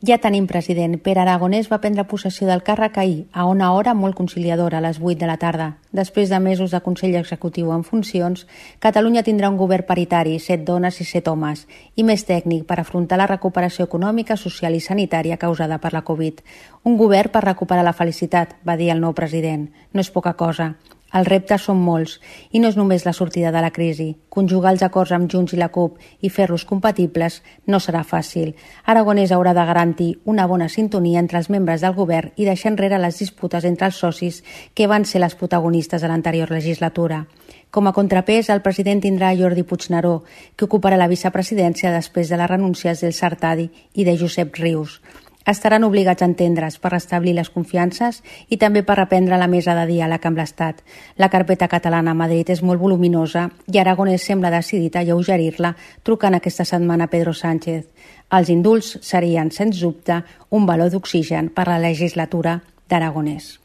Ja tenim president. Pere Aragonès va prendre possessió del càrrec ahir, a una hora molt conciliadora, a les 8 de la tarda. Després de mesos de Consell Executiu en funcions, Catalunya tindrà un govern paritari, 7 dones i 7 homes, i més tècnic per afrontar la recuperació econòmica, social i sanitària causada per la Covid. Un govern per recuperar la felicitat, va dir el nou president. No és poca cosa. Els reptes són molts, i no és només la sortida de la crisi. Conjugar els acords amb Junts i la CUP i fer-los compatibles no serà fàcil. Aragonès haurà de garantir una bona sintonia entre els membres del govern i deixar enrere les disputes entre els socis que van ser les protagonistes de l'anterior legislatura. Com a contrapès, el president tindrà Jordi Puigneró, que ocuparà la vicepresidència després de les renúncies del Sartadi i de Josep Rius. Estaran obligats a entendre's per restablir les confiances i també per reprendre la mesa de diàleg amb l'Estat. La carpeta catalana a Madrid és molt voluminosa i Aragonès sembla decidit a alleugerir-la trucant aquesta setmana a Pedro Sánchez. Els indults serien, sens dubte, un baló d'oxigen per a la legislatura d'Aragonès.